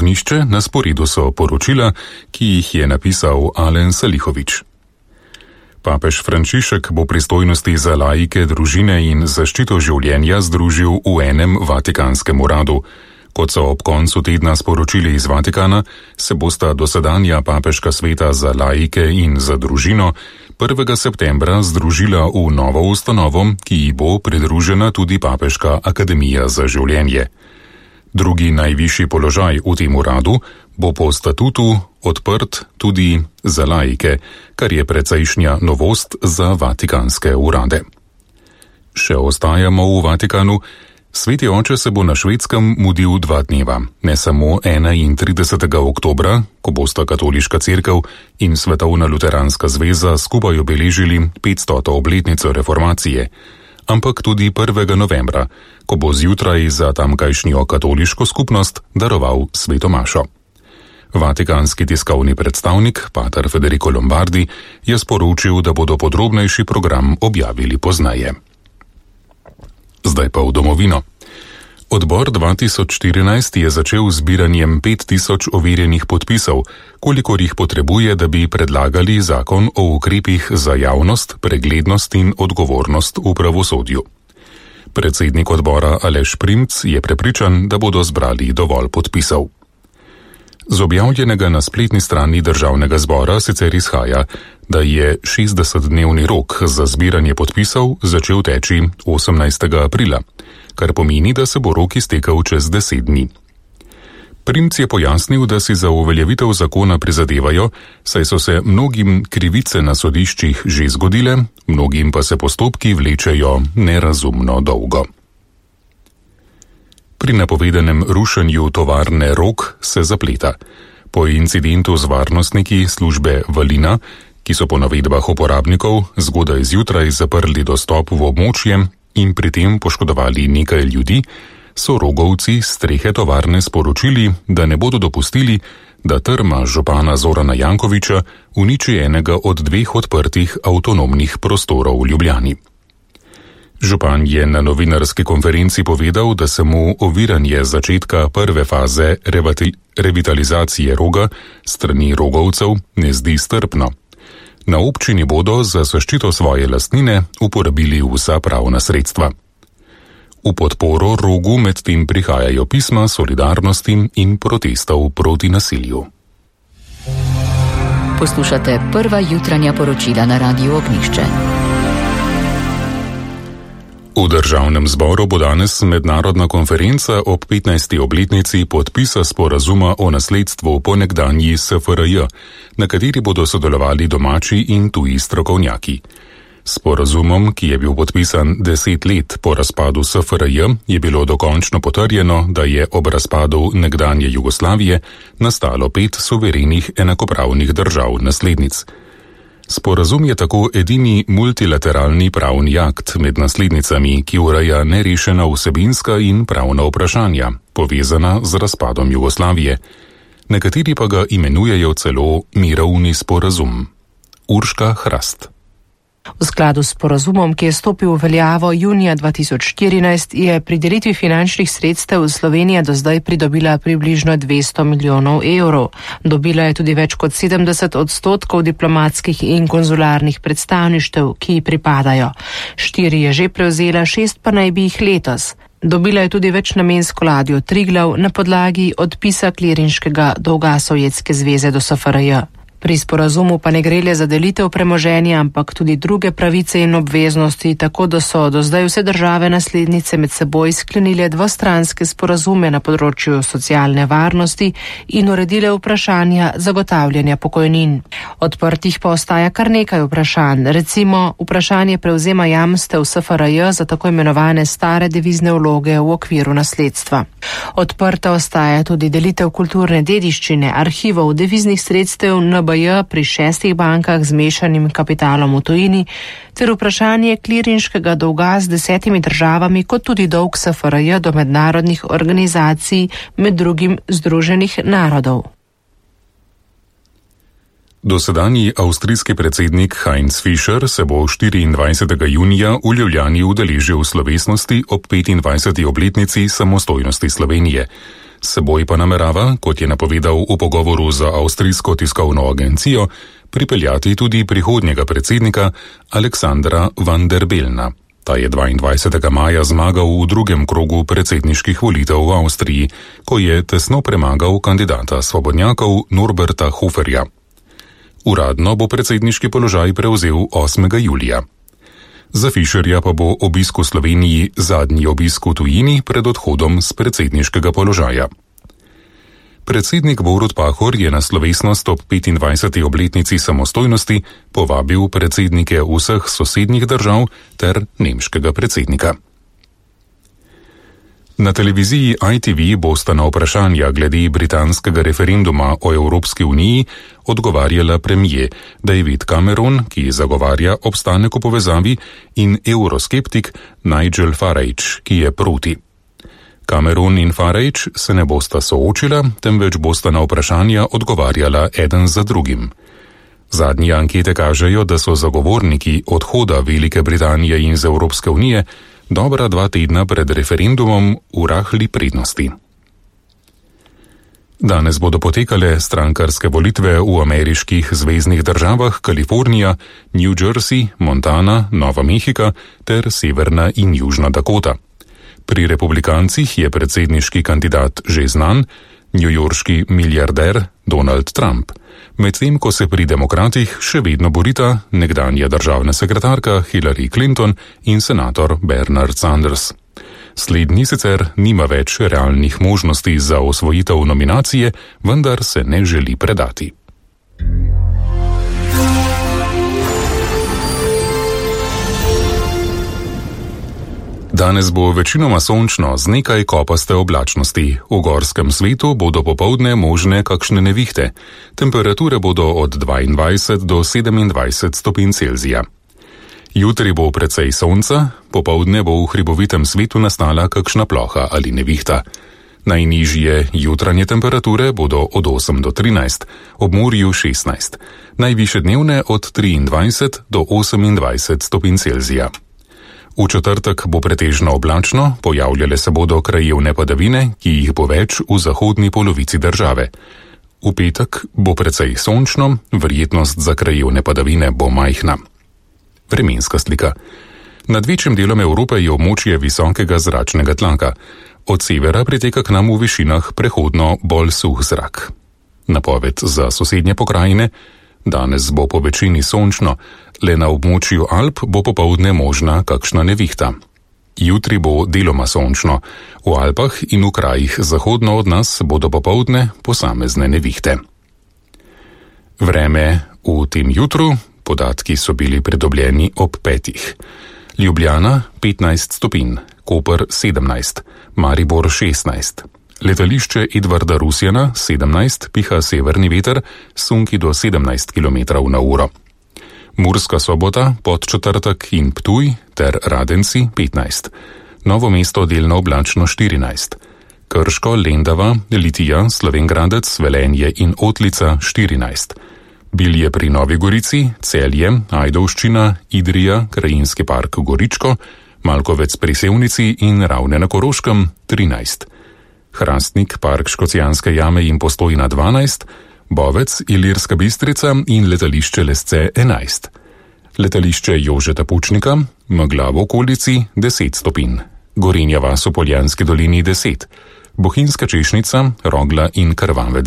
Knjišče, na sporedu so poročila, ki jih je napisal Alen Salihovič. Papež Frančišek bo pristojnosti za laike, družine in zaščito življenja združil v enem vatikanskem uradu. Kot so ob koncu tedna sporočili iz Vatikana, se bosta dosedanja papeška sveta za laike in za družino 1. septembra združila v novo ustanovo, ki ji bo pridružena tudi Papeška akademija za življenje. Drugi najvišji položaj v tem uradu bo po statutu odprt tudi za laike, kar je precejšnja novost za vatikanske urade. Še ostajamo v Vatikanu. Sveti oče se bo na Švedskem mudil 2 dneva, ne samo 31. oktobra, ko bosta Katoliška cerkev in Svetovna luteranska zveza skupaj obeležili 500. obletnico reformacije, ampak tudi 1. novembra, ko bo zjutraj za tamkajšnjo katoliško skupnost daroval sveto mašo. Vatikanski tiskovni predstavnik, pater Federico Lombardi, je sporočil, da bodo podrobnejši program objavili pozneje. Zdaj pa v domovino. Odbor 2014 je začel zbiranjem 5000 overjenih podpisov, kolikor jih potrebuje, da bi predlagali zakon o ukrepih za javnost, preglednost in odgovornost v pravosodju. Predsednik odbora Aleš Primc je prepričan, da bodo zbrali dovolj podpisov. Z objavljenega na spletni strani Državnega zbora sicer izhaja, da je 60-dnevni rok za zbiranje podpisov začel teči 18. aprila, kar pomeni, da se bo rok iztekel čez 10 dni. Primc je pojasnil, da si za uveljavitev zakona prizadevajo, saj so se mnogim krivice na sodiščih že zgodile, mnogim pa se postopki vlečejo nerazumno dolgo. Pri napovedanem rušenju tovarne Rog se zapleta. Po incidentu z varnostniki službe Valina, ki so po navedbah uporabnikov zgodaj zjutraj zaprli dostop v območje in pri tem poškodovali nekaj ljudi, so rogovci s strehe tovarne sporočili, da ne bodo dopustili, da trma župana Zorana Jankovića uniči enega od 2 odprtih avtonomnih prostorov v Ljubljani. Župan je na novinarski konferenci povedal, da se mu oviranje začetka prve faze revitalizacije Roga strani rogovcev ne zdi strpno. Na občini bodo za zaščito svoje lastnine uporabili vsa pravna sredstva. V podporo Rogu medtem prihajajo pisma solidarnosti in protestov proti nasilju. Poslušate prva jutranja poročila na Radiu Ognjišče. V Državnem zboru bo danes mednarodna konferenca ob 15. obletnici podpisa sporazuma o nasledstvu po nekdanji SFRJ, na kateri bodo sodelovali domači in tuji strokovnjaki. Sporazumom, ki je bil podpisan 10 let po razpadu SFRJ, je bilo dokončno potrjeno, da je ob razpadu nekdanje Jugoslavije nastalo 5 suverenih enakopravnih držav naslednic. Sporazum je tako edini multilateralni pravni akt med naslednicami, ki ureja nerešena vsebinska in pravna vprašanja, povezana z razpadom Jugoslavije. Nekateri pa ga imenujejo celo mirovni sporazum. Urška Hrast. V skladu s sporazumom, ki je stopil v veljavo junija 2014, je pri delitvi finančnih sredstev Slovenija do zdaj pridobila približno 200 milijonov evrov. Dobila je tudi več kot 70% diplomatskih in konzularnih predstavništev, ki ji pripadajo. 4 je že prevzela, 6 pa naj bi jih letos. Dobila je tudi večnamensko ladjo Triglav na podlagi odpisa klirinškega dolga Sovjetske zveze do SFRJ. Pri sporazumu pa ne gre le za delitev premoženja, ampak tudi druge pravice in obveznosti, tako da so do zdaj vse države naslednice med seboj sklenile dvostranske sporazume na področju socialne varnosti in uredile vprašanja zagotavljanja pokojnin. Odprtih pa ostaja kar nekaj vprašanj, recimo vprašanje prevzema jamstev SFRJ za tako imenovane stare devizne vloge v okviru nasledstva. Odprta ostaja tudi delitev kulturne dediščine, arhivov, deviznih sredstev NBJ pri 6 bankah z mešanim kapitalom v tujini, ter vprašanje klirinškega dolga z 10 državami, kot tudi dolg SFRJ do mednarodnih organizacij, med drugim Združenih narodov. Dosedanji avstrijski predsednik Heinz Fischer se bo 24. junija v Ljubljani udeležil slovesnosti ob 25. obletnici samostojnosti Slovenije. Seboj pa namerava, kot je napovedal v pogovoru za avstrijsko tiskovno agencijo, pripeljati tudi prihodnjega predsednika Aleksandra Van der Bellna. Ta je 22. maja zmagal v drugem krogu predsedniških volitev v Avstriji, ko je tesno premagal kandidata svobodnjakov Norberta Hoferja. Uradno bo predsedniški položaj prevzel 8. julija. Za Fischerja pa bo obisk v Sloveniji zadnji obisk v tujini pred odhodom z predsedniškega položaja. Predsednik Borut Pahor je na slovesnost ob 25. obletnici samostojnosti povabil predsednike vseh sosednjih držav ter nemškega predsednika. Na televiziji ITV bosta na vprašanja glede britanskega referenduma o Evropski uniji odgovarjala premier David Cameron, ki zagovarja obstanek v povezavi, in euroskeptik Nigel Farage, ki je proti. Cameron in Farage se ne bosta soočila, temveč bosta na vprašanja odgovarjala eden za drugim. Zadnje ankete kažejo, da so zagovorniki odhoda Velike Britanije iz Evropske unije dobra 2 tedna pred referendumom v rahli prednosti. Danes bodo potekale strankarske volitve v ameriških zveznih državah Kalifornija, New Jersey, Montana, Nova Mehika ter Severna in Južna Dakota. Pri republikancih je predsedniški kandidat že znan, newyorški milijarder Donald Trump, medtem ko se pri demokratih še vedno borita nekdanja državna sekretarka Hillary Clinton in senator Bernard Sanders. Slednji sicer nima več realnih možnosti za osvojitev nominacije, vendar se ne želi predati. Danes bo večinoma sončno z nekaj kopaste oblačnosti. V gorskem svetu bodo popoldne možne kakšne nevihte. Temperature bodo od 22 do 27 stopinj Celzija. Jutri bo precej sonca, popoldne bo v hribovitem svetu nastala kakšna ploha ali nevihta. Najnižje jutranje temperature bodo od 8 do 13, ob morju 16, najvišje dnevne od 23 do 28 stopinj Celzija. V četrtek bo pretežno oblačno, pojavljale se bodo krajevne padavine, ki jih bo več v zahodni polovici države. V petek bo precej sončno, verjetnost za krajevne padavine bo majhna. Vremenska slika. Nad večjim delom Evrope je območje visokega zračnega tlaka. Od severa priteka k nam v višinah prehodno bolj suh zrak. Napoved za sosednje pokrajine. Danes bo po večini sončno, le na območju Alp bo popoldne možna kakšna nevihta. Jutri bo deloma sončno, v Alpah in v krajih zahodno od nas bodo popoldne posamezne nevihte. Vreme v tem jutru, podatki so bili pridobljeni ob 5. Ljubljana 15 stopinj, Koper 17, Maribor 16. Letališče Edvarda Rusjana 17, piha severni veter, sunki do 17 km/h. Murska Sobota, Podčetrtek in Ptuj ter Radenci 15. Novo mesto delno oblačno 14. Krško, Lendava, Litija, Slovenj Gradec, Velenje in Otlica 14. Bilje pri Novi Gorici, Celje, Ajdovščina, Idrija, Krajinski park Goričko, Malkovec pri Sevnici in Ravne na Koroškem 13. Hrastnik, park Škocjanske jame in Postojna 12, Bovec, Ilirska Bistrica in letališče Lesce 11. Letališče Jožeta Pučnika, megla v okolici 10 stopinj. Gorenja vas v Poljanski dolini 10. Bohinjska Češnica, Rogla in Krvanec